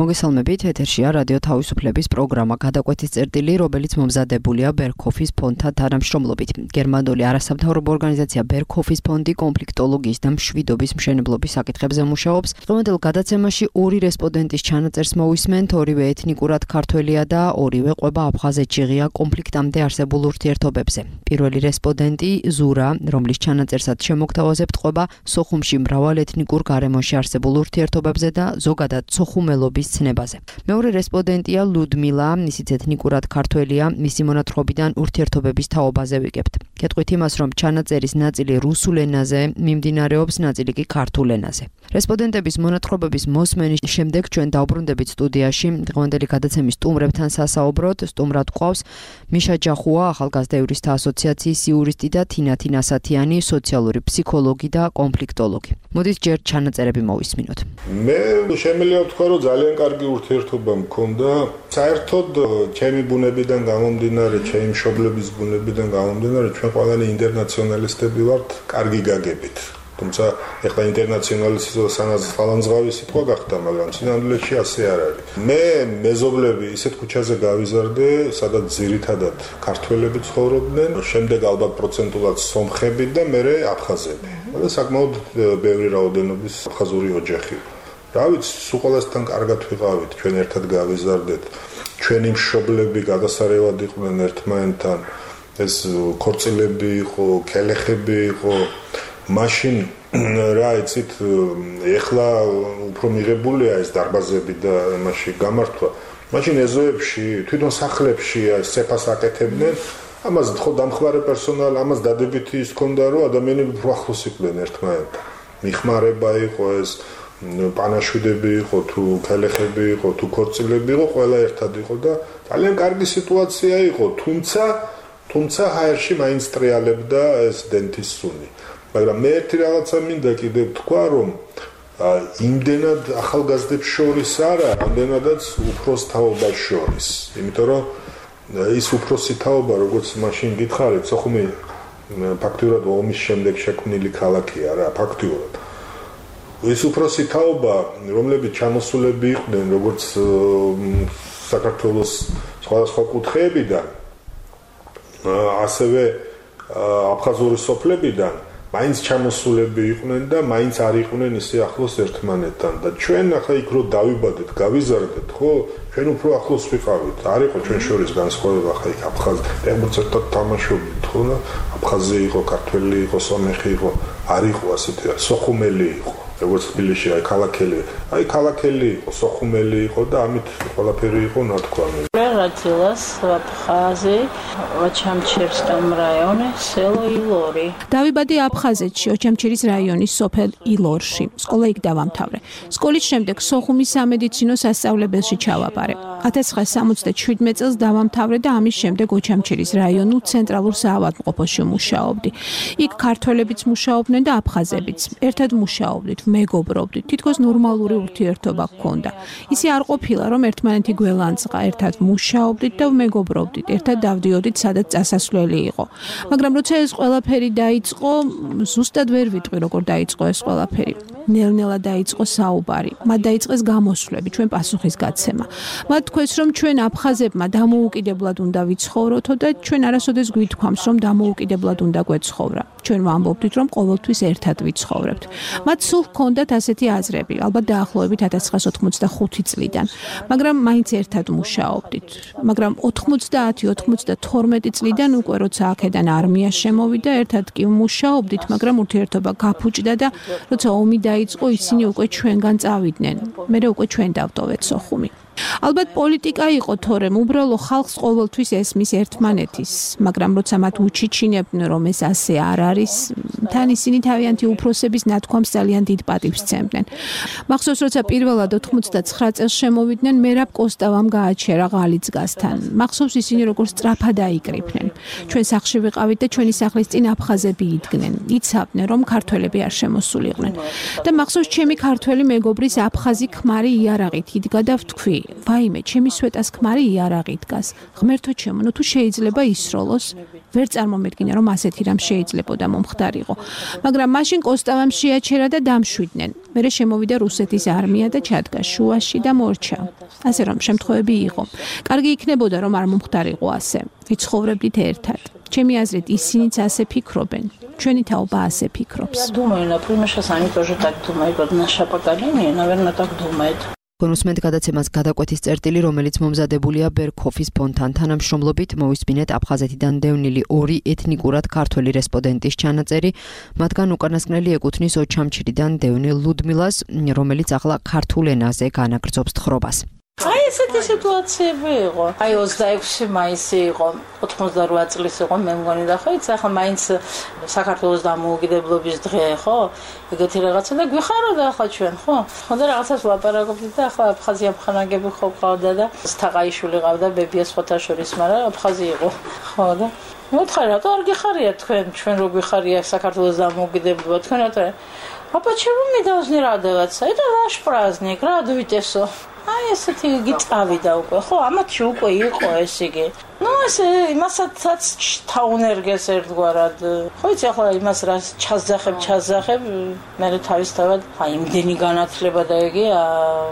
მოგესალმებით, ეთერშია რადიო თავისუფლების პროგრამა გადაკვეთის წერტილი, რომელიც მომზადებულია ბერქოფის ფონდთან თანამშრომლობით. გერმანული არასამთავრობო ორგანიზაცია ბერქოფის ფონდი კონფლიქტოლოგიის და მშვიდობის მშენებლობის საკითხებზე მუშაობს. დღევანდელ გადაცემაში ორი რესპონდენტის ჩანაწერს მოვისმენთ, ორივე ეთნიკურად ქართველია და ორივე ყვება აფხაზეთში ღია კონფლიქტამდე არსებულ ურთიერთობებზე. პირველი რესპონდენტი ზურა, რომლის ჩანაწერსაც შემოგთავაზებთ, ყვება სოხუმში მრავალ ეთნიკურ გარემოში არსებულ ურთიერთობებზე და ზოგადად სოხუმელობის ცნებაზე. მეორე რესპონდენტია ლუდმილა, ისიც ეთნიკურად ქართველია, მისი მონათხრობიდან ურთიერთობების თაობაზე ვიგებთ. გეტყვით იმას, რომ ჩანაწერის ნაწილი რუსულ ენაზე მიმდინარეობს, ნაწილი კი ქართულ ენაზე. რესპონდენტების მონათხრობების მოსმენის შემდეგ ჩვენ დავბრუნდებით სტუდიაში. დღევანდელი გადაცემის სტუმრებთან სასაუბროდ. სტუმრად გვყავს მიშა ჯახუა, ახალგაზრდა იურისტთა ასოციაციის იურისტი და თინათი ნასათიანი, სოციალური ფსიქოლოგი და კონფლიქტოლოგი. მოდით ჯერ ჩანაწერები მოვისმინოთ. მე შემიძლია ვთქვა, რომ ძალიან კარგი ურთიერთობა მქონდა. საერთოდ ჩემი ბუნებიდან გამომდინარე, ჩემი მშობლების ბუნებიდან გამომდინარე, ჩვენ ყველანი ინტერნაციონალისტები ვართ, კარგი გაგებით. თუმცა ეხლა ინტერნაციონალისტის სანაცვლავი სიტყვა გახდა, მაგრამ სინამდვილეში ასე არ არის. მე მეზობლები ისეთ ქუჩაზე გავიზარდე, სადაც ძირითადად ქართველები ცხოვრობდნენ, შემდეგ ალბათ პროცენტულად სომხები და მერე აფხაზები. და საკმაოდ ბევრი რაოდენობის აფხაზური ოჯახი. რა ვიცი, სულ ყველასთან კარგად ვიყავით, ჩვენ ერთად გავიზარდეთ. ჩვენი მშობლები გადასარევად იყვნენ ერთმანეთთან, ეს ქორწილები იყო, კელეხები იყო. მაშინ რა იცით, ეხლა უფრო მიღებულია ეს დარბაზები და მასში გამართვა. მაშინ ეზოებში, თვითონ სახლებში სეფას აკეთებდნენ. ამას ხო დამხმარე პერსონალი, ამას დადებითი ის ქონდა, რომ ადამიანები უფრო ახლოს იყვნენ ერთმანეთთან. მიხმარება იყო ეს, პანაშვიდები იყო, თუ კელეხები იყო, თუ ქორწილები იყო, ყველა ერთად იყო და ძალიან კარგი სიტუაცია იყო, თუმცა ჰაერში მაინც ტრიალებდა ეს დენთის სუნი. მაგრამ მე ერთი რაღაცა მინდა კიდევ თქვა, რომ იმდენად ახალგაზრდებს შორის არა, რამდენადაც უფროს თაობას შორის. იმიტომ რომ ის უფროსი თაობა, როგორც მაშინ გითხარით, სოხუმი ფაქტურად ომის შემდეგ შექმნილი ქალაქია რა, ფაქტურად. ის უფროსი თაობა, რომლებიც ჩამოსულები იყვნენ, როგორც საქართველოს სხვადასხვა კუთხეებიდან, ასევე აფხაზური სოფლებიდან, მაინც ჩამოსულები იყვნენ და მაინც არ იყვნენ ისე ახლოს ერთმანეთთან და ჩვენ ახლა იქ რო დავიბადეთ, გავიზარდეთ, ხო? ჩვენ უფრო ახლოს ვიყავით. არ იყო ჩვენ შორის განსხვავება, ახლა იქ აფხაზი, ერთად თამაშობდით, ხო? აფხაზი იყო, ქართველი იყო, სომეხი იყო, არ იყო ასეთი, სოხუმელი იყო. როგორც თბილისში ქალაქელი იყო, სოხუმელი იყო და ამით ყველაფერი იყო ნათქვამი. Родилась в Абхазии, в Очамчирском районе, село Илори. დავიბადე აფხაზეთში, ოჩამჩირის რაიონის სოფელ ილორში. სკოლა იქ დავამთავრე. სკოლის შემდეგ სოხუმის სამედიცინო სასწავლებელში ჩავაბარე. 1977 წელს დავამთავრე და ამის შემდეგ ოჩამჩირის რაიონულ ცენტრალურ საავადმყოფოში მუშაობდი. იქ ქართველებიც მუშაობდნენ და აფხაზებიც. ერთად მუშაობდით, მეგობრობდით, თითქოს ნორმალური ურთიერთობა ჰქონდა. ისე არ ყოფილა, რომ ერთმანეთი გველანძღა, ერთად მუშაობდით და მეგობრობდით, ერთად დავდიოდით, სადაც წასასვლელი იყო. მაგრამ როცა ეს ყველაფერი დაიწყო, ზუსტად ვერ ვიტყვი, როგორ დაიწყო ეს ყველაფერი. ნელ-ნელა დაიწყო საუბარი, მათ დაიწყეს გამოსვლები, ჩვენ პასუხისგაცემა. მათ თქვეს, რომ ჩვენ აფხაზებმა დამოუკიდებლად უნდა ვიცხოვროთო და ჩვენ არასოდეს გვითქვამს, რომ დამოუკიდებლად უნდა გვეცხოვრა. ჩვენ ვამბობდით, რომ ყოველთვის ერთად ვიცხოვრებთ. მათ სულ ჰქონდათ ასეთი აზრები, ალბათ დაახლოებით 1985 წლიდან, მაგრამ მაინც ერთად მუშაობდით. მაგრამ 90-92 წლიდან უკვე როცა აქედან არმია შემოვიდა, ერთად კი მუშაობდით, მაგრამ ურთიერთობა გაფუჭდა და როცა ომი დაიწყო, ისინი უკვე ჩვენგან წავიდნენ. მერე უკვე ჩვენ დავტოვეთ სოხუმი. ალბათ პოლიტიკა იყო, თორემ უბრალო ხალხს ყოველთვის ესმის ერთმანეთის, მაგრამ როცა მათ უჩიჩინებდნენ, რომ ეს ასე არ არის, თან ისინი თავიანთი უფროსების ნათქვამს ძალიან დიდ პატივს სცემდნენ. მახსოვს, როცა პირველად 99 წელს შემოვიდნენ, მერაბ კოსტავამ გააჩერა ღალიძგასთან. მახსოვს ისინი როგორ სწრაფად აიკრიფნენ. ჩვენ სახლში ვიყავით და ჩვენი სახლის წინ აფხაზები იდგნენ. იცავდნენ, რომ ქართველები არ შემოსულიყვნენ. და მახსოვს ჩემი ქართველი მეგობრის აფხაზი ქმარი იარაღით იდგა და ვთქვი, ვაიმე, ჩემი სვეტას ქმარი იარაღი დგას. ღმერთო ჩემო, ნუ თუ შეიძლება ისროლოს, ვერ წარმომედგინა რომ ასეთი რამ შეიძლებოდა მომხდარიყო. მაგრამ მაშინ კოსტავამ შეაჩერა და დამშვიდნენ. მერე შემოვიდა რუსეთის არმია და ჩადგა შუაში და მორჩა. ასე რომ შემთხვევები იყო. კარგი იქნებოდა რომ არ მომხდარიყო ასე. ვიცხოვრებდით ერთად. ჩემი აზრით ისინიც ასე ფიქრობენ. ჩვენი თაობა ასე ფიქრობს. Я думаю, например, что они тоже так думают, вот наше поколение, наверное, так думает. კონუსმენტ გადაცემას გადაკვეთის წერტილი, რომელიც მომზადებულია ბერქოფის ფონდთან თანამშრომლობით, მოვისმინეთ აფხაზეთიდან დევნილი 2 ეთნიკურად ქართველი რესპონდენტის ჩანაწერი, მათგან უკანასკნელი ეკუთვნის ოჩამჩირიდან დევნილ ლუდმილას, რომელიც ახლა ქართულ ენაზე განაგრძობს თხრობას. აი ესეთი სიტუაციები იყო. აი 26 მაისი იყო, 88 წლის იყო, მე მგონი და ხო იცი, ახლა მაინც საქართველოს დამოუკიდებლობის დღე, ხო? ეგეთი რაღაცა და გვიხაროდა ახლა ჩვენ, ხო? ხო და რაღაცას ვლაპარაკობდით და ახლა აფხაზია მხანაგები ხო ყავდა და სტაყაიშვილი ყავდა, ბებია სხვათა შორის, მაგრამ აფხაზი იყო. ხო და მოთხარ რატო არ გიხარია ჩვენ რო გვიხარია საქართველოს დამოუკიდებლობა, თქვენ რატო? Почему мы должны радоваться? Это наш праздник, радуйтесь. აი ესეთი გიწავიდა უკვე, ხო, ამათში უკვე იყო ეს იგი. Ну, ესე იმასაც თაუნერგეს ერთგვარად. ხო იცი, ახლა იმას რას ჩაზახებ, მე თავისთავად, აი იმდენი განათლება და იგი,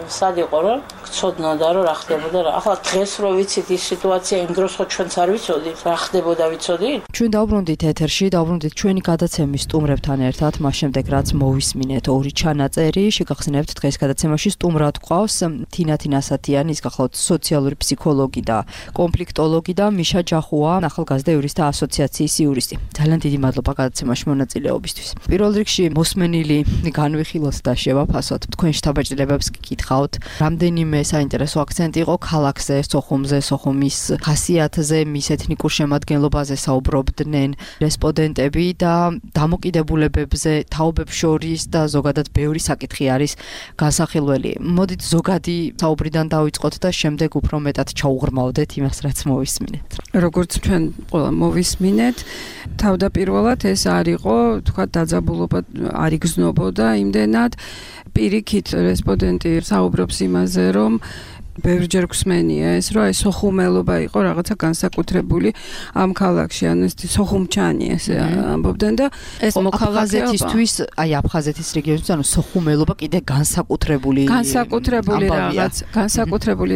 სად იყო რომ გწოდნოდა რომ რა ხდებოდა რა. ახლა დღეს რო ვიცით ის სიტუაცია, იმ დროს ხო ჩვენც არ ვიცოდით, რა ხდებოდა ვიცოდით? ჩვენ დავბრუნდით ეთერში, დავბრუნდით ჩვენი გადაცემის სტუმრებთან ერთად, მას შემდეგ რაც მოვისმინეთ 2 ჩანაწერი, შეგახსენებთ დღეს გადაცემაში სტუმრად გვყავს თინათინ ასათიანი, ის გახლავთ სოციალური ფსიქოლოგი და კონფლიქტოლოგი და მიშა ჯახუა, ახალგაზრდა იურისტთა ასოციაციის იურისტი. ძალიან დიდი მადლობა გადაცემაში მონაწილეობისთვის. პირველ რიგში მოსმენილი განვიხილოთ და შევაფასოთ. თქვენ შთაბეჭდილებებს გიკითხავთ. რამდენიმე საინტერესო აქცენტი იყო ქალაქზე, სოხუმზე, სოხუმის ხასიათზე, მის ეთნიკურ შემადგენლობაზე საუბრობდნენ რესპონდენტები და დამოკიდებულებებზე, თაობებს შორის და ზოგადად ბევრი საკითხი არის განსახილველი. მოდით ზოგადი საუბრიდან დავიწყოთ და შემდეგ უფრო მეტად ჩაუღრმავდეთ იმას, რაც მოვისმინეთ. როგორც ჩვენ ყველა მოვისმინეთ, თავდაპირველად ეს არ იყო, თქვა დაძაბულობა არ იგრძნობოდა იმდენად. პირიქით რესპონდენტი საუბრობს იმაზე, რომ ბევრჯერ გვსმენია ეს, რომ ეს სოხუმელობა იყო რაღაცა განსაკუთრებული ამ ქალაქში, ან ეს სოხუმჩანი ესე ამბობდნენ და ეს აფხაზეთისთვის, აი აფხაზეთის რეგიონისთვის, ანუ სოხუმელობა კიდე განსაკუთრებული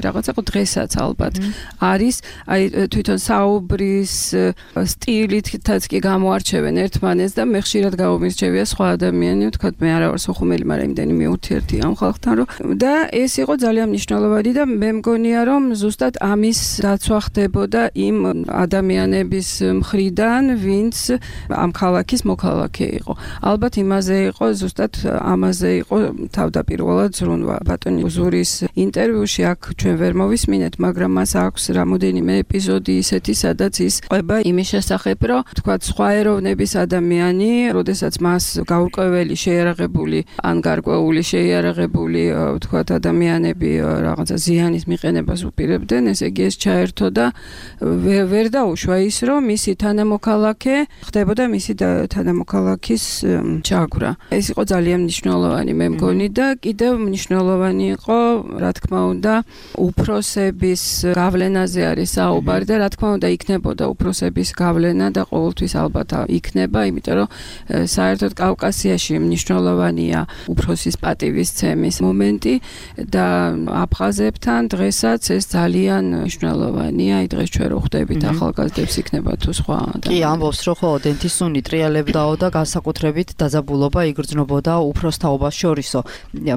რაღაცა ხო დღესაც ალბათ არის, აი თვითონ საუბრის სტილითაც კი გამოარჩევენ ერთმანეთს და მე ხშირად გამომირჩევია სხვა ადამიანი, თქვა მე არა ვარ სოხუმელი, მაგრამ იმდენი მიუთერთი ამ ხალხთან, რომ და ეს იყო ძალიან მნიშვნელოვანი და მე მგონია რომ ზუსტად ამის დაცვა ხდებოდა იმ ადამიანების მხრიდან, ვინც ამ ქალაქის მოქალაქე იყო. ალბათ იმაზე იყო, ზუსტად ამაზე იყო თავდაპირველად ზრუნვა. ბატონი უზურის ინტერვიუში აქ ჩვენ ვერ მოვისმინეთ, მაგრამ მას აქვს რამოდენიმე ეპიზოდი ისეთი, სადაც ის ყვება იმის შესახებ, რომ თქვა სხვა ეროვნების ადამიანი, როდესაც მას გაურკვეველი შეიარაღებული ან გარკვეული შეიარაღებული თქვა ადამიანები რაღაცა ზიანის მიყენებას უპირებდნენ, ესე იგი ეს ჩაერთო და ვერ დაუშვა ის, რომ მისი თანამოქალაქე ხდებოდა მისი თანამოქალაქის ჩაგვრა. ეს იყო ძალიან მნიშვნელოვანი მე მგონი და კიდევ მნიშვნელოვანი იყო, რა თქმა უნდა, უფროსების გავლენაზე არის საუბარი და რა თქმა უნდა იქნებოდა უფროსების გავლენა და ყოველთვის ალბათ იქნება, იმიტომ რომ საერთოდ კავკასიაში მნიშვნელოვანია უფროსის პატივისცემის მომენტი და აფხაზებთან დღესაც ეს ძალიან მნიშვნელოვანია. აი დღეს ჩვენ რო ხვდებით ახალგაზრდებს იქნება თუ სხვა. კი, ამბობს რომ ხო დენტისუნი ტრიალებდაო და განსაკუთრებით დაძაბულობა იგრძნობოდა უფროს თაობას შორისო.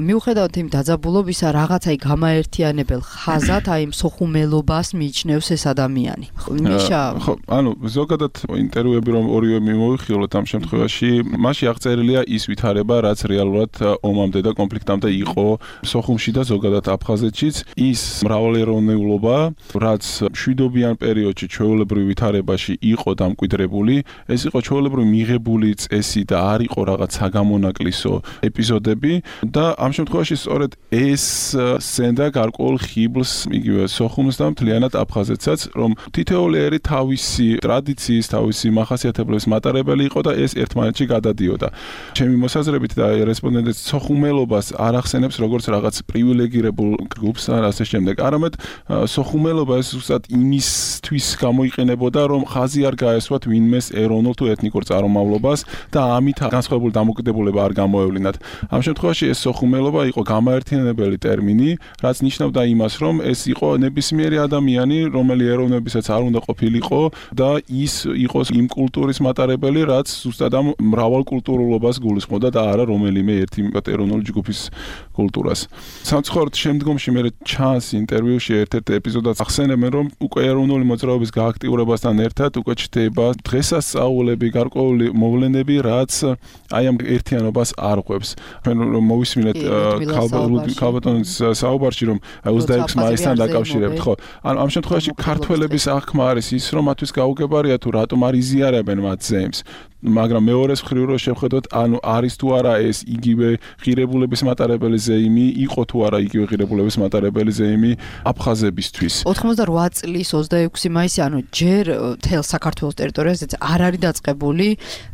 მიუხედავად იმ დაძაბულობისა, რაღაცა გამაერთიანებელ ხაზად აი სოხუმელობას მიიჩნევს ეს ადამიანი. მიშა ხო, ანუ ზოგადად ინტერვიუები რომ ორივე მიმოვიხილოთ ამ შემთხვევაში, მასში აღწერილია ის ვითარება, რაც რეალურად ომამდე და კონფლიქტამდე იყო სოხუმში და ზოგადად აფხაზეთშიც. ის მრავალეროვნეულობა, რაც მშვიდობიან პერიოდში ჩვეულებრივ ვითარებაში იყო დამკვიდრებული, ეს იყო ჩვეულებრივ მიღებული წესი და არ იყო რაღაც საგამონაკლისო ეპიზოდები და ამ შემთხვევაში სწორედ ეს სცენდა გარკვეულ ხიბლს იგივე სოხუმს და მთლიანად აფხაზეთსაც, რომ თითოეული ერი თავისი ტრადიციის, თავისი მახასიათებლების მატარებელი იყო და ეს ერთმანეთში გადადიოდა. ჩემი მოსაზრებით და რესპონდენტის სოხუმელობას არ ახსენებს როგორც რაღაც პრივილეგირებულ ჯგუფს, ასე შემდეგ. არამედ სოხუმელობა ეს უბრალოდ იმისთვის გამოიყენებოდა, რომ ხაზი არ გაესვათ ვინმეს ეროვნულ თუ ეთნიკურ წარმომავლობას და ამით განსხვავებული დამოკიდებულება არ გამოევლინათ. ამ შემთხვევაში ეს სოხუმელობა იყო გამაერთიანებელი ტერმინი, რაც ნიშნავდა იმას, რომ ეს იყო ნებისმიერი ადამიანი, რომელი ეროვნებისაც არ უნდა ყოფილიყო და ის იყოს იმ კულტურის მატარებელი, რაც ზუსტად ამ მრავალკულტურულობას გულისხმობდა და არა რომელიმე ერთი ეროვნული ჯგუფის კულტურას. სამწუხაროდ შემდგომში მე ჩანს ინტერვიუში ერთ-ერთ ეპიზოდად ახსენებენ, რომ უკვე ეროვნული მოძრაობის გააქტიურებასთან ერთად უკვე ჩდება დღესასწაულები, გარკვეული მოვლენები, რაც აი ამ ერთიანობას არ ყვებს. ჩვენ მოვისმინეთ ქალბატონის საუბარში, რომ 26 მაისთან დაკავშირებით, ხო? ანუ ამ შემთხვევაში ქართველების აღქმა არის ის, რომ მათთვის გაუგებარია თუ რატომ არ იზიარებენ მათ ზეიმს. მაგრამ მეორეს მხრივ რო შევხედოთ, ანუ არის თუ არა ეს იგივე ღირებულების მატარებელი ზეიმი, იყო თუ არა იგივე ღირებულების მატარებელი ზეიმი აფხაზებისთვის. 88 წლის 26 მაისი, ანუ ჯერ თელ საქართველოს ტერიტორიაზეც არ არის დაწყებული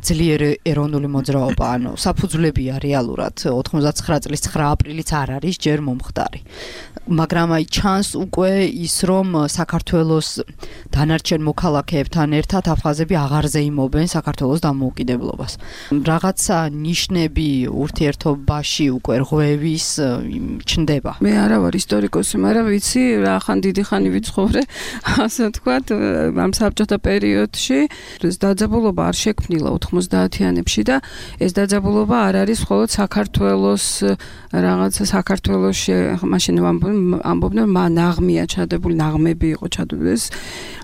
ძლიერი ეროვნული მოძრაობა, ანუ საფუძვლებია რეალურად 99 წლის 9 აპრილიც არ არის ჯერ მომხდარი. მაგრამ აი ჩანს უკვე ის, რომ საქართველოს დანარჩენ მოქალაქეებთან ერთად აფხაზები აღარ ზეიმობენ საქართველოს დამოუკიდებლობას. რაღაცა ნიშნები ურთიერთობაში უკვე რღვევის ჩნდება. მე არა ვარ ისტორიკოსი, მაგრამ ვიცი, რა ხან დიდი ხანი ვიცხოვრე, ასე ვთქვათ, ამ საბჭოთა პერიოდში ეს დაძაბულობა არ შექმნილა 90-იანებში და ეს დაძაბულობა არ არის მხოლოდ საქართველოს რაღაცა საქართველოში მაშინ ამბობდნენ ნაღმია ჩადებული, ნაღმები იყო ჩადებული.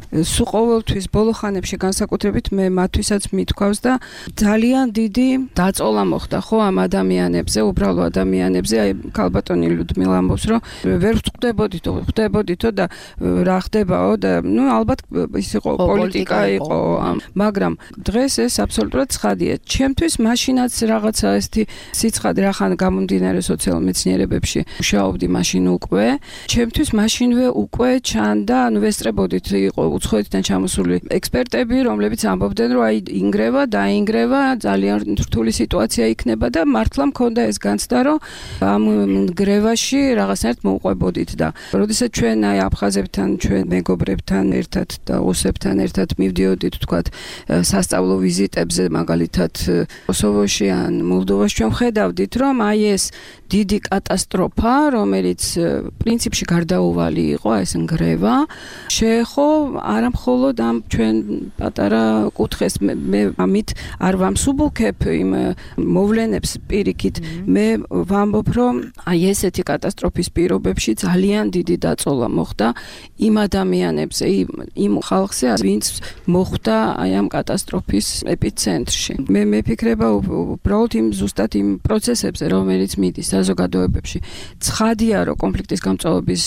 სულ ყოველთვის ბოლო ხანებში განსაკუთრებით მე მათთვისაც მithქვავს და ძალიან დიდი დაწოლა მოხდა ხო ამ ადამიანებზე, უბრალო ადამიანებზე. აი ქალბატონი ლუდმილა ამბობს, რომ ვერ ხვდებოდითო და რა ხდებაო და ნუ ალბათ ის იყო პოლიტიკა იყო, მაგრამ დღეს ეს აბსოლუტურად ცხადია. ჩემთვის მაშინაც რაღაცა ესეთი სიცხადე რახან გამომდინარე სოციალურ მეცნიერებებში მუშაობდი მაშინ უკვე. ჩემთვის მაშინვე უკვე ჩანდა, ანუ ვესწრებოდით იყო უცხოეთიდან ჩამოსული ექსპერტები, რომლებიც ამბობდნენ, რომ აი ინგრევა, დაინგრევა, ძალიან რთული სიტუაცია იქნება და მართლა მქონდა ეს განცდა, რომ ამ ნგრევაში რაღაცნაირად მოუყვებოდით და როდესაც ჩვენ აი აფხაზებთან, ჩვენ მეგობრებთან ერთად და ოსებთან ერთად მივდიოდით, თქვათ, სასწავლო ვიზიტებზე, მაგალითად კოსოვოში ან მოლდოვაში, ჩვენ ხედავდით, რომ აი ეს დიდი კატასტროფა, რომელიც პრინციპში გარდაუვალი იყო, ეს ნგრევა, შეეხო არა მხოლოდ ამ ჩვენ პატარა კუთხეს, მე ამით არ ვამსუბუქებ იმ მოვლენებს პირიქით, მე ვამბობ, რომ აი ესეთი კატასტროფის პირობებში ძალიან დიდი დაწოლა მოხდა იმ ადამიანებზე, იმ ხალხზე, ვინც მოხვდა აი ამ კატასტროფის ეპიცენტრში. მე მეფიქრება უბრალოდ ზუსტად იმ პროცესებზე, რომელიც მიდის საზოგადოებებში. ცხადია, რომ კონფლიქტის გამწვავების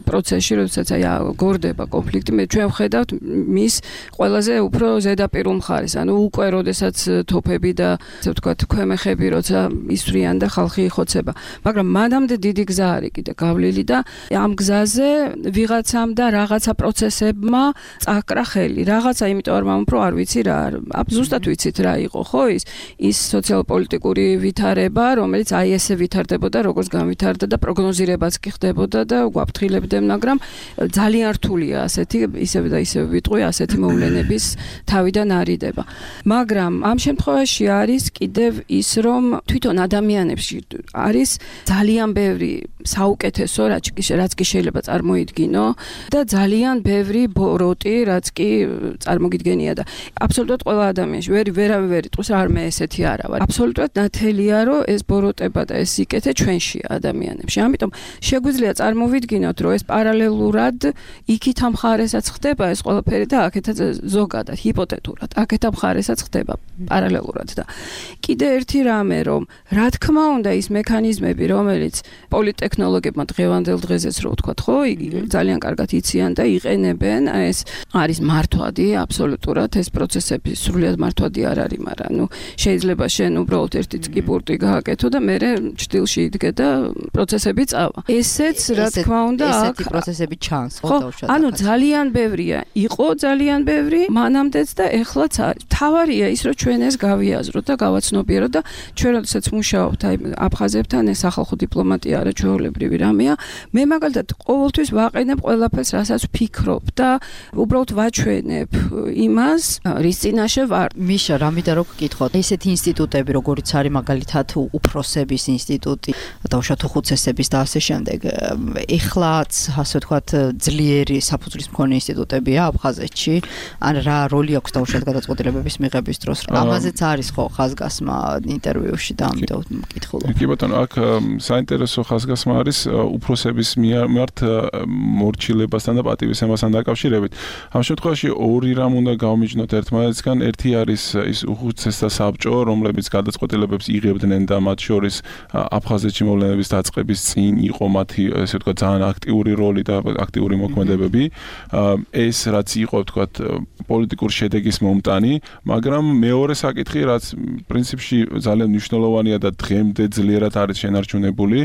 პროცესში, როდესაც აი გორდება კონფლიქტი, ჩვენ ვხედავთ მის ყველაზე უფრო ზედაპირულ მხარეს, ანუ უკვე როდესაც თოფები და ასე ვთქვათ ქვემეხები როცა ისვრიან და ხალხი იხოცება. მაგრამ მანამდე დიდი გზა არის კიდე გავლილი და ამ გზაზე ვიღაცამ და რაღაცა პროცესებმა წაკრა ხელი. რაღაცა, იმიტომ არ ვამბობ, რომ არ ვიცი რა, ზუსტად ვიცით რა იყო, ხო ის სოციალ-პოლიტიკური ვითარება, რომელიც აი ესე ვითარდებოდა, როგორც განვითარდა და პროგნოზირებაც კი ხდებოდა და გვაფრთხილებდნენ, მაგრამ ძალიან რთულია ასეთი ისევ და ისევ ვიტყვი ასეთი მოვლენების თავიდან არიდება. მაგრამ ამ შემთხვევაში არის კიდევ ის, რომ თვითონ ადამიანებში არის ძალიან ბევრი საუკეთესო, რაც კი შეიძლება წარმოიდგინო და ძალიან ბევრი ბოროტი, რაც კი წარმოგიდგენია და აბსოლუტურად ყველა ადამიანში ვერავე იტყვის, არ მე ესეთი არა ვარ. აბსოლუტურად ნათელია, რომ ეს ბოროტება და ეს სიკეთე ჩვენშია ადამიანებში. ამიტომ შეგვიძლია წარმოვიდგინოთ, რომ ეს პარალელურად იქით ამ მხარესაც ხდება ეს ყველაფერი და აქეთაც ზოგადად ჰიპოთეტურად აქეთ ამ მხარესაც ხდება პარალელურად და კიდე ერთი რამე, რომ რა თქმა უნდა ის მექანიზმები, რომელიც პოლიტექნოლოგებმა დღევანდელ დღეზეც რო ვთქვათ, ხო, ძალიან კარგად იციან და იყენებენ, ეს არის მართვადი, აბსოლუტურად ეს პროცესები სრულიად მართვადი არ არის, მაგრამ ნუ შეიძლება შენ უბრალოდ ერთი წკიპურტი გააკეთო და მე ჭდილში იდგე და პროცესები წავა. ესეც რა თქმა უნდა აქ ესეთი პროცესები ჩანს, ხო, ანუ ძალიან ბევრია იყო ძალიან ბევრი მანამდეც და ეხლაც არის. თავარია ის, რომ ჩვენ ეს გავიაზროთ და გავაცნობიეროთ და ჩვენ როდესაც მუშაობთ აი აფხაზებთან, ეს სახალხო დიპლომატია არა ჩვეულებრივი რამეა. მე მაგალითად ყოველთვის ვაყენებ ყველაფერს, რასაც ვფიქრობ და უბრალოდ ვაჩვენებ იმას, რის წინაშე ვარ. მიშა, რამიდა რო გკითხოთ, ესეთი ინსტიტუტები, როგორიც არის მაგალითად უფროსების ინსტიტუტი, დავუშვათ უხუცესების და ასე შემდეგ, ეხლაც ასე ვთქვათ ძლიერი საფუძვლის მქონე ინსტიტუტებია აფხაზეთში, ან რა როლი აქვს დავუშვათ გადაწყვეტილებების მიღების დროს? ამაზეც არის ხო ხაზგასმა ინტერვიუში და ამიტომ მკითხულობ. კი ბატონო, აქ საინტერესო ხაზგასმა არის უფროსების მიმართ მორჩილებასთან და პატივისცემასთან დაკავშირებით. ამ შემთხვევაში ორი რამ უნდა გავმიჯნოთ ერთმანეთისგან. ერთი არის ის უხუცესთა საბჭო, რომლებიც გადაწყვეტილებებს იღებდნენ და მათ შორის აფხაზეთში მოვლენების დაწყების წინ იყო მათი ესე ვთქვათ ძალიან აქტიური როლი და აქტიური მოქმედებები. ეს რაც იყო ვთქვათ პოლიტიკურ შედეგის მომტანი, მაგრამ მეორე საკითხი, რაც პრინციპში ძალიან მნიშვნელოვანია და დღემდე ძლიერად არის შენარჩუნებული,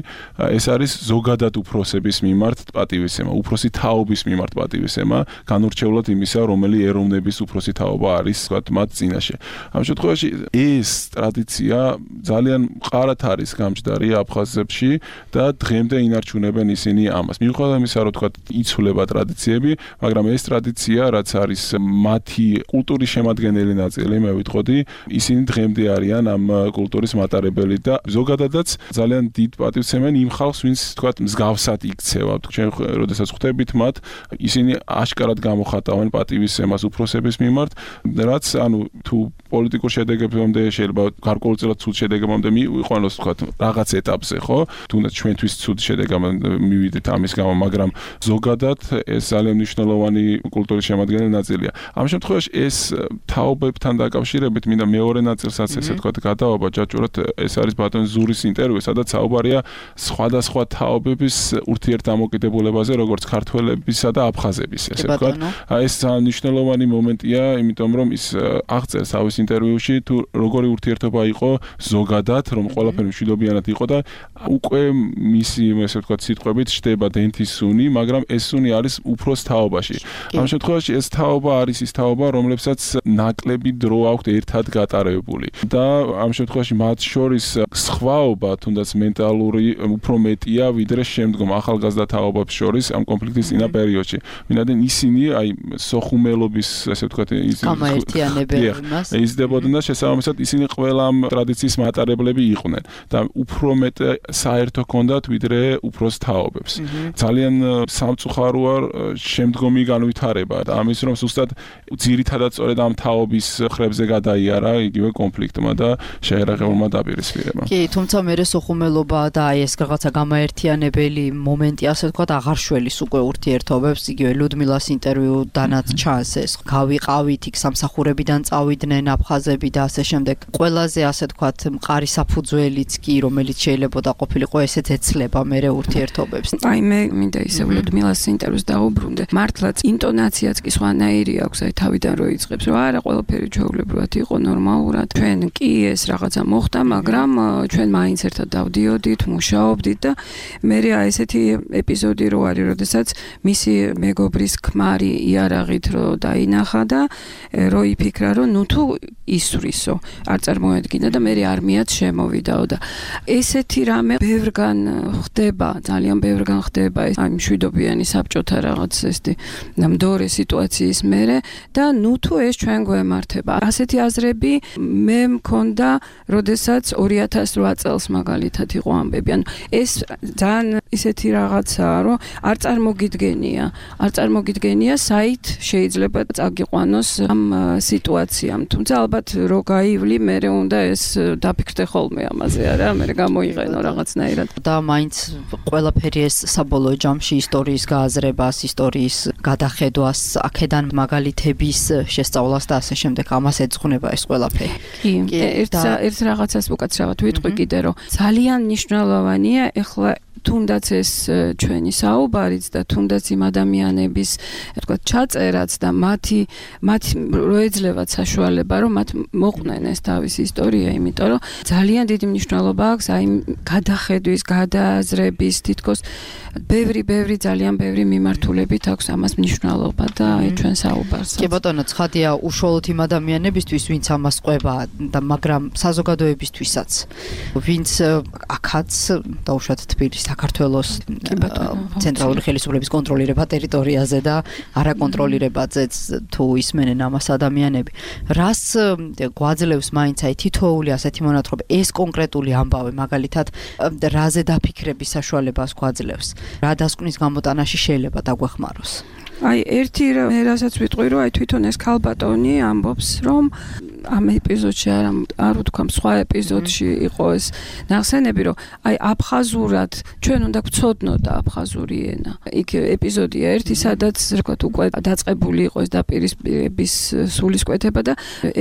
ეს არის ზოგადად უფროსების მიმართ პატივისცემა, უფროსი თაობის მიმართ პატივისცემა, განურჩევლად იმისა, რომელი ეროვნების უფროსი თაობა არის ვთქვათ მათ წინაშე. ამ შემთხვევაში ეს ტრადიცია ძალიან მყარად არის გამჯდარი აფხაზებში და დღემდე ინარჩუნებენ ისინი ამას. მიუხედავად იმისა, რომ ვთქვათ იცვლება ტრადიციები, მაგრამ ეს ტრადიცია, რაც არის მათი კულტურის შემადგენელი ნაწილი, მე ვიტყოდი, ისინი დღემდე არიან ამ კულტურის მატარებელი და ზოგადადაც ძალიან დიდ პატივცემენ იმ ხალხს, ვინც ვთქვათ მსგავსად იქცევა. ჩვენ როდესაც ხვდებით მათ, ისინი აშკარად გამოხატავენ პატივისცემას უფროსების მიმართ, რაც ანუ თუ პოლიტიკურ შედეგებამდე შეიძლება გარკვეულწილად ცუდ შედეგებამდე მივიყვანოს ვთქვათ რაღაც ეტაპზე, ხო? თუნდაც ჩვენთვის ცუდ შედეგებამდე მივიდეთ ამის გამო, მაგრამ ზოგადად ეს ძალიან მნიშვნელოვანი კულტურის შემადგენელი ნაწილია. ამ შემთხვევაში ეს თაობებთან დაკავშირებით მინდა მეორე ნაწილსაც ესე ვთქვათ გადავაბა ჯაჭვურად, ეს არის ბატონ ზურის ინტერვიუ, სადაც საუბარია სხვადასხვა თაობების ურთიერთდამოკიდებულებაზე, როგორც ქართველებისა და აფხაზების, ესე ვთქვათ. ეს ძალიან მნიშვნელოვანი მომენტია, იმიტომ რომ ის აღწერს თავის ინტერვიუში თუ როგორი ურთიერთობა იყო ზოგადად, რომ ყველაფერი მშვიდობიანად იყო და უკვე მისი ესე ვთქვათ სიტყვებით შტება დენთის სუნი, მაგრამ ეს სუნი არის უფროს თაობაში. ამ შემთხვევაში ეს თაობა არის ის თაობა, რომლებსაც ნაკლები დრო აქვთ ერთად გატარებული და ამ შემთხვევაში მათ შორის სხვაობა თუნდაც მენტალური უფრო მეტია ვიდრე შემდგომ ახალგაზრდა თაობებს შორის ამ კონფლიქტის წინა პერიოდში. ვინაიდან ისინი აი სოხუმელობის ესე ვთქვათ იზრდებოდნენ და შესაბამისად ისინი ყველა ამ ტრადიციის მატარებლები იყვნენ და უფრო მეტ საერთო ჰქონდათ ვიდრე უფროს თაობებს. ძალიან სამწუხაროა შემდგომი განვითარება და ამის რომ ზუსტად ძირითადად სწორედ ამ თაობის ხრებზე გადაიარა იგივე კონფლიქტმა და შეერაღებულმა დაპირისპირებამ. კი, თუმცა მერე სოხუმელობა და აი ეს რაღაცა გამაერთიანებელი მომენტი ასე ვთქვათ აღარ შველის უკვე ურთიერთობებს, იგივე ლუდმილას ინტერვიუდანაც ჩანს ეს. გავიყავით იქ სამსახურებიდან წავიდნენ აფხაზები და ასე შემდეგ. ყველაზე ასე ვთქვათ მყარი საფუძველიც კი, რომელიც შეიძლება და ყოფილიყო ესეც ეცლება მერე ურთიერთობებს. აი მე მინდა ისე ლუდმილას ინტერვიუს დაუბრუნდე. მართლაც ინტონაციაც კი სხვანაირი აქვს, აი თავიდან რო იწყებს, რომ არა ყველაფერი ჩვეულებრივად იყო ნორმალურად. ჩვენ კი ეს რაღაცა მოხდა, მაგრამ ჩვენ მაინც ერთად დავდიოდით, მუშაობდით და მე ესეთი ეპიზოდი რო არის, როდესაც მისი მეგობრის ქმარი იარაღით რო დაინახა და რო იფიქრა, რომ ნუ თუ ისვრისო, არ წარმოედგინა და მე არმიაც შემოვიდაო და ესეთი რამე ბევრგან ხდება, ძალიან ბევრგან ხდება ეს აი მშვიდობიანი საბჭოთა რაღაც ესეთი ნამდვილი სიტუაციის მერე და ნუ თუ ეს ჩვენ გვემართება. ასეთი აზრები მე მქონდა, როდესაც 2008 წელს მაგალითად იყო ამბები. ანუ ეს ძალიან ისეთი რაღაცაა, რომ არ წარმოგიდგენია საით შეიძლება წაგიყვანოს ამ სიტუაციამ. თუმცა ალბათ რო გაივლი, მე უნდა ეს დაფიქრდე ხოლმე ამაზე, არა, მე გამოიყენო რაღაცნაირად. და მაინც ყველაფერი ეს საბოლოო ჯამში ისტორიის გააზრებას, ისტორიის გადახედვას, აქედან მაგალითების შესწავლას და ასე შემდეგ ამას ეძღვნება ეს ყველაფერი. კი, ერთ რაღაცას უკაცრავად ვიტყვი კიდე, რომ ძალიან მნიშვნელოვანია ეხლა თუნდაც ეს ჩვენი საუბარიც და თუნდაც იმ ადამიანების თქვათ ჩაწერაც და მათი რო ეძლევათ საშუალება რომ მათ მოყვნენ ეს თავის ისტორია, იმიტომ რომ ძალიან დიდი მნიშვნელობა აქვს აი გადახედვის, გადააზრების, თითქოს ბევრი ძალიან ბევრი მიმართულებით აქვს ამას მნიშვნელობა და აი ჩვენ საუბარს. კი ბატონო, ცხადია უშუალოდ იმ ადამიანებისთვის, ვინც ამას ყვება და მაგრამ საზოგადოებისთვისაც, ვინც აქაც დაუშვათ თბილისის საქართველოს ცენტრალური ხელისუფლების კონტროლირება ტერიტორიაზე და არაკონტროლირებაზეც თუ ისმენენ ამას ადამიანები. რას გვაძლევს მაინც აი თითოეული ასეთი მონათხრობი, ეს კონკრეტული ამბავი მაგალითად რაზე დაფიქრების საშუალებას გვაძლევს? რა დასკვნის გამოტანაში შეიძლება დაგვეხმაროს? აი ერთი რასაც ვიტყვი რომ აი თვითონ ეს ქალბატონი ამბობს რომ ამ ეპიზოდში არ ვთქვამ სხვა ეპიზოდში იყო ეს ნახსენები რომ აი აფხაზურად ჩვენ უნდა გვცოდნოთ აფხაზური ენა. იქ ეპიზოდია ერთი სადაც რქვათ უკვე დაწყებული იყო ეს დაპირისპირების სულისკვეთება და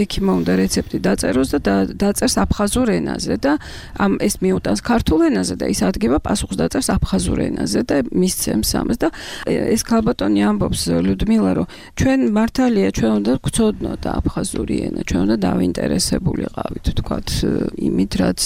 ექიმმა უნდა რეცეპტი დაწეროს და დაწერს აფხაზურ ენაზე და ამ ეს მიუტანს ქართულ ენაზე და ის ადგება პასუხს დაწერს აფხაზურ ენაზე და მისცემს ამას და ეს ქალბატონი ამბობს ლუდმილა რომ ჩვენ მართალია ჩვენ უნდა გვცოდნოთ აფხაზური ენა ჩვენ და დავინტერესებულიყავით, თქვათ, იმით, რაც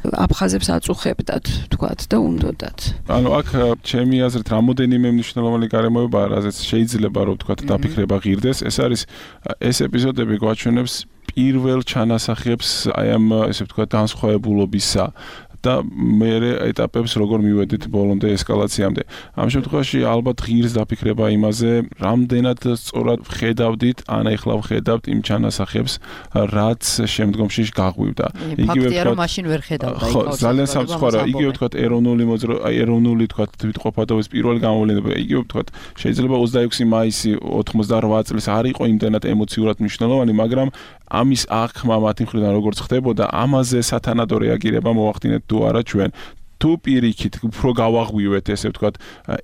აფხაზებს აწუხებდათ, თქვათ და უნდოდათ. ანუ აქ ჩემი აზრით რამოდენიმე მნიშვნელოვანი გარემოებაა, რაზეც შეიძლება რომ თქვათ დაფიქრება ღირდეს. ეს ეპიზოდები გვაჩვენებს პირველ ჩანასახებს აი ამ ესე ვთქვათ განსხვავებულობისა და მერე ეტაპებს როგორ მივედით ბოლომდე ესკალაციამდე. ამ შემთხვევაში ალბათ ღირს დაფიქრება იმაზე, რამდენად სწორად ვხედავდით, ეხლა ვხედავთ იმ ჩანასახებს, რაც შემდგომში გაღვივდა. ფაქტია რომ მაშინ ვერ ხედავდა. ხო, ძალიან სამწუხაროა. იგივე ვთქვათ ეროვნული ვთქვათ თვითყოფადობის პირველი გამოვლენა. იგივე ვთქვათ შეიძლება 26 მაისი 88 წლის არ იყო იმდენად ემოციურად მნიშვნელოვანი, მაგრამ ამის აღქმა მათი მხრიდან როგორც ხდებოდა, ამაზე სათანადო რეაგირება მოვახდინეთ თუ არა ჩვენ. თუ პირიქით უფრო გავაღვივეთ ესე ვთქვათ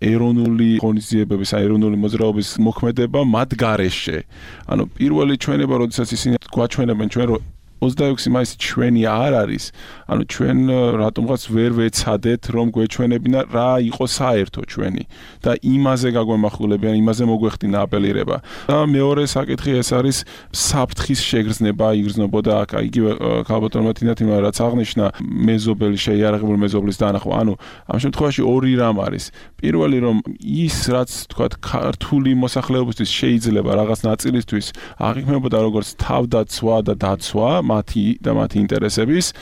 ეროვნული ღონისძიებების, ეროვნული მოძრაობის მოქმედება მათ გარეშე. ანუ პირველი ჩვენება, როდესაც ისინი გვაჩვენებენ ჩვენ რომ 26 მაისი ჩვენი არ არის, ანუ ჩვენ რატომღაც ვერ ვეცადეთ რომ გვეჩვენებინა რა იყო საერთო ჩვენი და იმაზე გაგვემახვილებიან, იმაზე მოგვეხდინა აპელირება. და მეორე საკითხი ეს არის საფრთხის შეგრძნება, იგრძნობოდა აქ იგივე ქალბატონმა თინათიმა რაც აღნიშნა მეზობელი შეიარაღებული მეზობლის დანახვა. ანუ ამ შემთხვევაში ორი რამ არის. პირველი რომ ის რაც თქვათ ქართული მოსახლეობისთვის შეიძლება რაღაც ნაწილისთვის აღიქმებოდა როგორც თავდაცვა და დაცვა მათი ინტერესების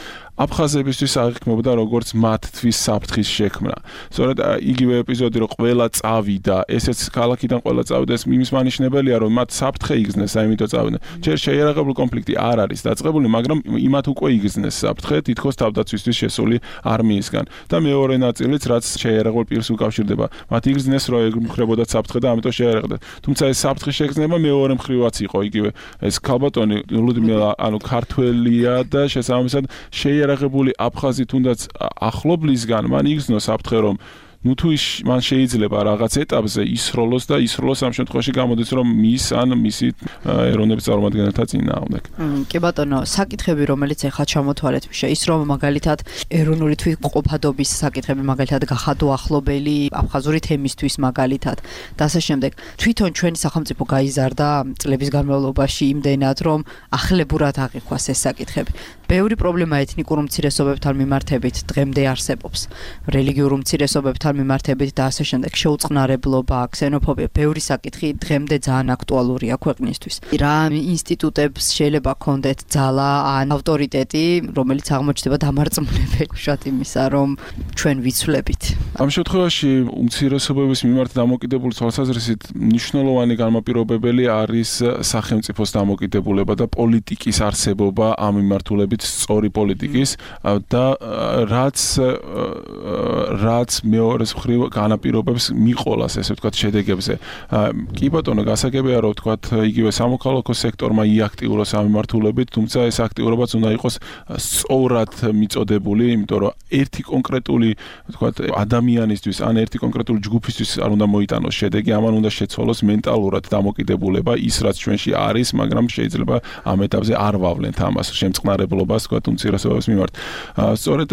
აფხაზებისთვის აღიქმებოდა როგორც მათთვის საფრთხის შექმნა. სწორედ იგივე ეპიზოდი რომ ყველა წავიდა, ესეც ქალაქიდან ყველა წავიდა, ეს იმის მანიშნებელია რომ მათ საფრთხე იგრძნეს, აიმიტომ წავიდნენ. ჯერ შეიარაღებული კონფლიქტი არ არის დაწყებული, მაგრამ იმათ უკვე იგრძნეს საფრთხე თითქოს თავდაცვისთვის შესული არმიისგან. და მეორე ნაწილიც რაც შეიარაღებულ პირს უკავშირდება, მათ იგრძნეს რომ ემხრებოდათ საფრთხე და ამიტომ შეიარაღდა. თუმცა ეს საფრთხის შეგრძნება მეორე მხრივაც იყო, იგივე ეს ქალბატონი ლუდმილა ანუ ქართველია და შესაბამისად შეიარაღებული აფხაზი თუნდაც ახლობლისგან მან იგრძნო საფრთხე რომ ნუ თუ მან შეიძლება რაღაც ეტაპზე ისროლოს და ისროლოს ამ შემთხვევაში გამოდის რომ მის ან მისი ეროვნების წარმომადგენელთა წინააღმდეგ. კი ბატონო, საკითხები რომელიც ახლა ჩამოთვალეთ მიშა, ის რომ მაგალითად ეროვნული თვითმყოფადობის საკითხები მაგალითად გახადო ახლობელი აფხაზური თემისთვის მაგალითად და ასე შემდეგ. თვითონ ჩვენი სახელმწიფო გაიზარდა წლების განმავლობაში იმდენად რომ ახლებურად აღიქვას ეს საკითხები. ბევრი პრობლემა ეთნიკურ უმცირესობებთან მიმართებით დღემდე არსებობს. რელიგიურ უმცირესობებთან მიმართებით და ასე შემდეგ შეუწყნარებლობა, ქსენოფობია, ბევრი საკითხი დღემდე ძალიან აქტუალურია ქვეყნისთვის. რა ინსტიტუტებს შეიძლება ქონდეთ ძალა ან ავტორიტეტი, რომელიც აღმოჩნდება დამარწმუნებელი უშუალოდ იმისა, რომ ჩვენ ვიცვლებით. ამ შემთხვევაში უმცირესობების მიმართ დამოკიდებული თვალსაზრისით მნიშვნელოვანი განმაპირობებელი არის სახელმწიფოს დამოკიდებულება და პოლიტიკის არსებობა ამ მიმართულებით სწორი პოლიტიკის და რაც მეორე მხრივ განაპირობებს მიყოლას ესე ვთქვათ შედეგებზე. კი ბატონო, გასაგებია რომ ვთქვათ იგივე სამოქალაქო სექტორმა იაქტიუროს ამ მიმართულებით, თუმცა ეს აქტიურობაც უნდა იყოს სწორად მიწოდებული, იმიტომ რომ ერთი კონკრეტული ვთქვათ ადამიანისთვის ან ერთი კონკრეტული ჯგუფისთვის არ უნდა მოიტანოს შედეგი, ამან უნდა შეცვალოს მენტალურად დამოკიდებულება ის რაც ჩვენში არის, მაგრამ შეიძლება ამ ეტაპზე არ ვავლენთ ამას, შემწყნარებლობა აზროვნებას თქვა უმცირესობების მიმართ. სწორედ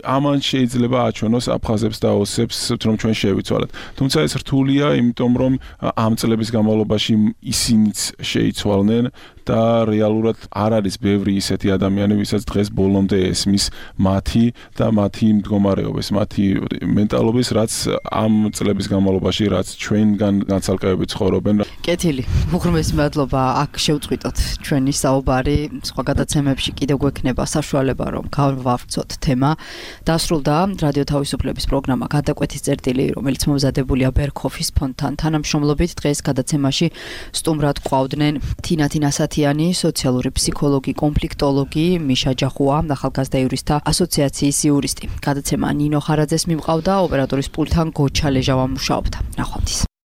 ამან შეიძლება აჩვენოს აფხაზებს და ოსებს, რომ ჩვენ შევიცვალეთ. თუმცა ეს რთულია, იმიტომ რომ ამ წლების განმავლობაში ისინიც შეიცვალნენ და რეალურად არ არის ბევრი ისეთი ადამიანი, ვისაც დღეს ბოლომდე ესმის მათი და მათი მდგომარეობის, მათი მენტალობის, რაც ამ წლების განმავლობაში, რაც ჩვენგან განცალკევებით ცხოვრობენ. კეთილი, უღრმესი მადლობა. აქ შევწყვიტოთ ჩვენი საუბარი. სხვა გადაცემებში კიდევ გვექნება საშუალება, რომ გავავრცოთ თემა. დასრულდა რადიო თავისუფლების პროგრამა გადაკვეთის წერტილი, რომელიც მომზადებულია ბერქოფის ფონდთან თანამშრომლობით. დღეს გადაცემაში სტუმრად ყვავდნენ თინა თინასათიანი, სოციალური ფსიქოლოგი, კონფლიქტოლოგი, მიშა ჯახუა, ახალგაზრდა იურისტთა ასოციაციის იურისტი. გადაცემა ნინო ხარაძეს მიმყავდა, ოპერატორის პულტთან გოჩა ლეჟავა მუშაობდა. ნახვამდის.